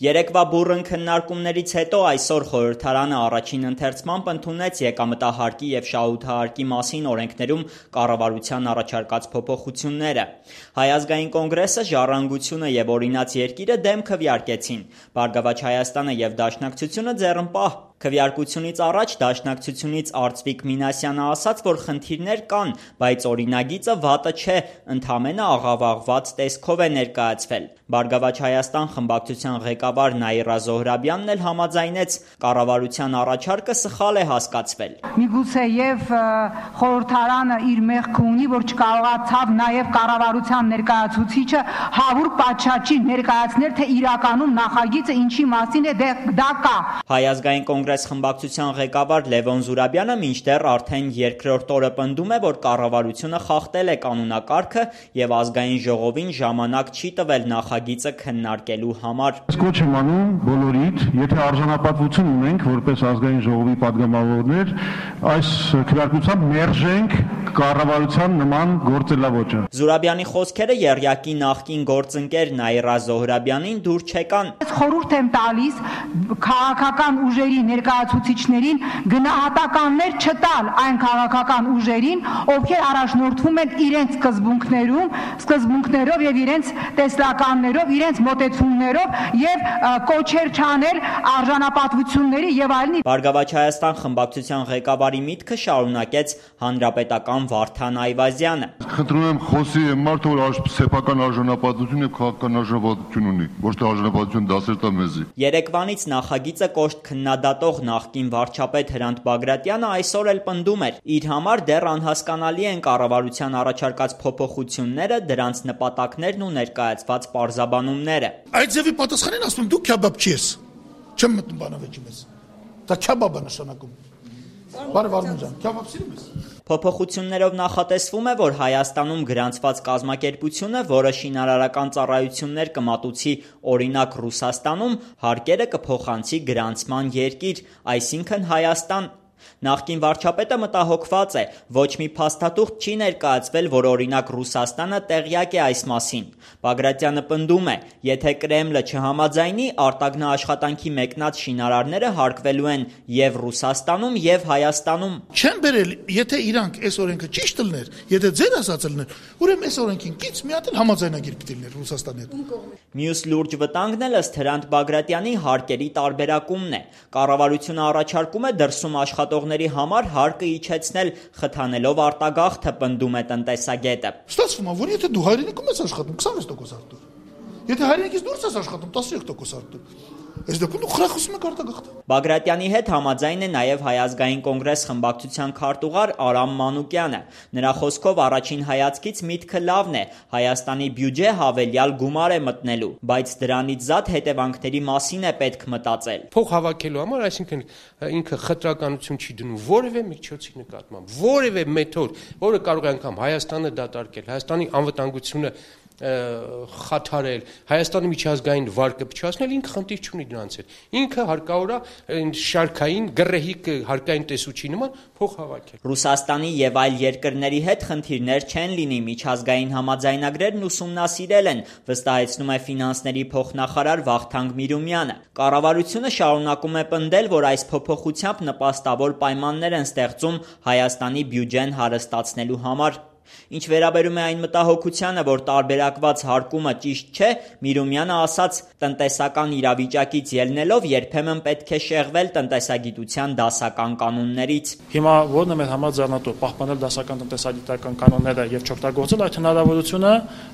Երեկվա բուռն քննարկումներից հետո այսօր խորհրդարանը առաջին ընթերցմամբ ընդունեց եկամտահարկի և շահութահարկի մասին օրենքներում կառավարության առաջարկած փոփոխությունները։ Հայ ազգային կոնգրեսը, Ժառանգությունը և Օրինաց երկիրը դեմ քվեարկեցին։ Բարգավաճ Հայաստանը և Դաշնակցությունը ձեռնպահ։ Քվեարկությունից առաջ Դաշնակցությունից Արծվիկ Մինասյանը ասաց, որ խնդիրներ կան, բայց օրինագիծը վատը չէ, ընդամենը աղավաղված տեսքով է ներկայացվել։ Բարգավաճ Հայաստան խմբակցության ղեկավար Նաիրա Զոհրաբյանն էլ համաձայնեց, կառավարության առաջարկը սխալ է հասկացվել։ Միգուցեև խորհրդարանը իր մեղքը ունի, որ չկարողացավ նաև կառավարության ներկայացուցիչը հավուր պատշաճի ներկայացնել, թե իրականում նախագիծը ինչի մասին է դա կա։ Հայ ազգային կոնգրես խմբակցության ղեկավար Լևոն Զուրաբյանը մինչդեռ արդեն երկրորդ օրը պնդում է, որ կառավարությունը խախտել է կանոնակարգը և ազգային ժողովին ժամանակ չի տվել նախագիծը քննարկելու համար։ Կոչ եմ անում բոլորիդ, եթե արժանապատվություն ունենք որպես ազգային ժողովի падգամավորներ, այս քվեարկությամբ մերժենք կառավարության նման գործելավոճը։ Զուրաբյանի խոսքերը եռյակի նախկին գործընկեր Նաիրա Զոհրաբյանին դուր չեկան։ Խորհուրդ եմ տալիս քաղաքական ուժերի ներկայացուցիչներին գնահատականներ չտալ այն քաղաքական ուժերին, ովքեր առաջնորդվում են իրենց սկզբունքներով եւ իրենց տեսլականներով, իրենց մոտեցումներով եւ կոչեր չանել արժանապատվությունների եւ այլնի։ Բարգավաճ Հայաստան խմբակցության ղեկավարի միտքը շարունակեց հանրապետական Վարդան Այվազյանը։ Խնդրում եմ խոսի մարդ, որ սեփական արժանապատվություն եւ քաղաքական արժանապատվություն ունի, ոչ թե արժանապատվություն դասեր տա մեզի։ Երեկվանից նախագիծը կոշտ քննադատող նախկին վարչապետ Հրանտ Բագրատյանը այսօր էլ պնդում էր, իր համար դեռ անհասկանալի են կառավարության առաջարկած փոփոխությունները, դրանց նպատակներն ու ներկայացված պարզաբանումները։ Այդ ձևի պատասխանին ասում դու քյաբաբ չես։ Չեմ մտնում բանավեճի մեզ։ Դա քյաբաբ է նշանակում։ Բարև Արմեն ջան, քյաբաբ սիրում ես։ Փոփոխություններով նախատեսվում է, որ Հայաստանում գրանցված կազմակերպությունը, որը շինարարական ծառայություններ կմատուցի օրինակ Ռուսաստանում, հարկերը կփոխանցի գրանցման երկիր, այսինքն Հայաստան։ Նախկին վարչապետը մտահոգված է, ոչ մի փաստաթուղթ չի ներկայացվել, որ օրինակ Ռուսաստանը տեղյակ է այս մասին։ Բագրատյանը պնդում է, եթե Կրեմլը չհամաձայնի, արտագնա աշխատանքի մեկնած շինարարները հարկվելու են եւ Ռուսաստանում, եւ Հայաստանում։ Չեն բերել, եթե իրանք այս օրենքը ճիշտ լներ, եթե ձեր ասածը լներ, ուրեմն այս օրենքին կից մի հատ էլ համաձայնագիր պիտի լիներ Ռուսաստանի հետ։ Մյուս լուրջ վտանգն էլ ըստ Հրանտ Բագրատյանի հարկերի տարբերակումն է։ Կառավարությունը առաջարկում է դրսում աշխատողների համար հարկը իջեցնել, խթանելով արտագաղթը, պնդում է տնտեսագետը։ Ստացվում է, որ եթե դու հայրենիքում ես աշխատում, 26% արտուր։ Եթե հայրենիքից դուրս ես աշխատում, 13% արտուր։ Այս դեպքում դու խրախուսում ես արտագաղթը։ Բագրատյանի հետ համաձայն է նաև Հայ ազգային կոնգրես խմբակցության քարտուղար Արամ Մանուկյանը։ Նրա խոսքով առաջին հայացքից միտքը լավն է, Հայաստանի բյուջե հավելյալ գումար է մտնելու, բայց դրանից զատ հետևանքների մասին է պետք մտածել։ Փող հավաքելու համար, այսինքն ինքը խտրականություն չի դնում որևէ միջոցի նկատմամբ, որևէ մեթոդ, որը կարող է անգամ Հայաստանը դատարկել, Հայաստանի անվտանգությունը խաթարել, Հայաստանի միջազգային վարկը փչացնել, ինքը խնդիր չունի դրանց հետ։ Ինքը հարկավոր է շարքային գռեհիկ հարկային տեսուչի նման փող հավաքել։ Ռուսաստանի եւ այլ երկրների հետ խնդիրներ չեն լինի, միջազգային համաձայնագրերն ուսումնասիրել են, վստահեցնում է ֆինանսների փոխնախարար Վախթանգ Միրումյանը։ Կառավարությունը շարունակում է պնդել, որ այս փոփոխությամբ նպաստավոր պայմաններ են ստեղծում Հայաստանի բյուջեն հարստացնելու համար։ Ինչ վերաբերում է այն մտահոգությանը, որ տարբերակված հարկումը ճիշտ չէ, Միրումյանը ասաց, տնտեսական իրավիճակից ելնելով երբեմն պետք է շեղվել տնտեսագիտության դասական կանոններից։ Հիմա ո՞րն է մեր համար ձեռնտու պահպանել դասական տնտեսագիտական կանոնները եւ չօգտագործել այդ հնարավորությունը,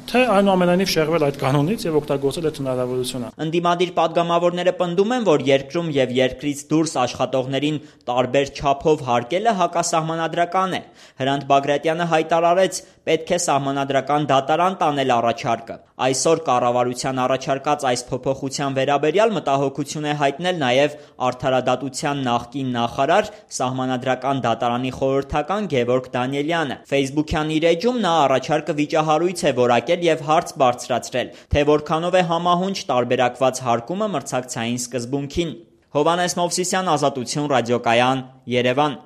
թե այնուամենայնիվ շեղվել այդ կանոնից եւ օգտագործել այդ հնարավորությունը։ Ընդդիմադիր падգամավորները պնդում են, որ երկրում եւ երկրից դուրս աշխատողներին տարբեր չափով հարկելը հակասահմանադրական է։ Հրանտ Բագրատյանը հայտարարեց, պետք է սահմանադրական դատարան տանել առաջարկը։ Այսօր կառավարության առաջարկած այս փոփոխության վերաբերյալ մտահոգություն է հայտնել նաև Արդարադատության նախկին նախարար, սահմանադրական դատարանի խորհրդական Գևորգ Դանիելյանը։ Facebook-յան իր էջում նա առաջարկը վիճահարույց է որակել եւ հարց բարձրացրել, թե որքանով է համահունչ տարբերակված հարկումը մրցակցային սկզբունքին։ Հովհաննես Մովսիսյան, Ազատություն, ռադիոկայան, Երևան։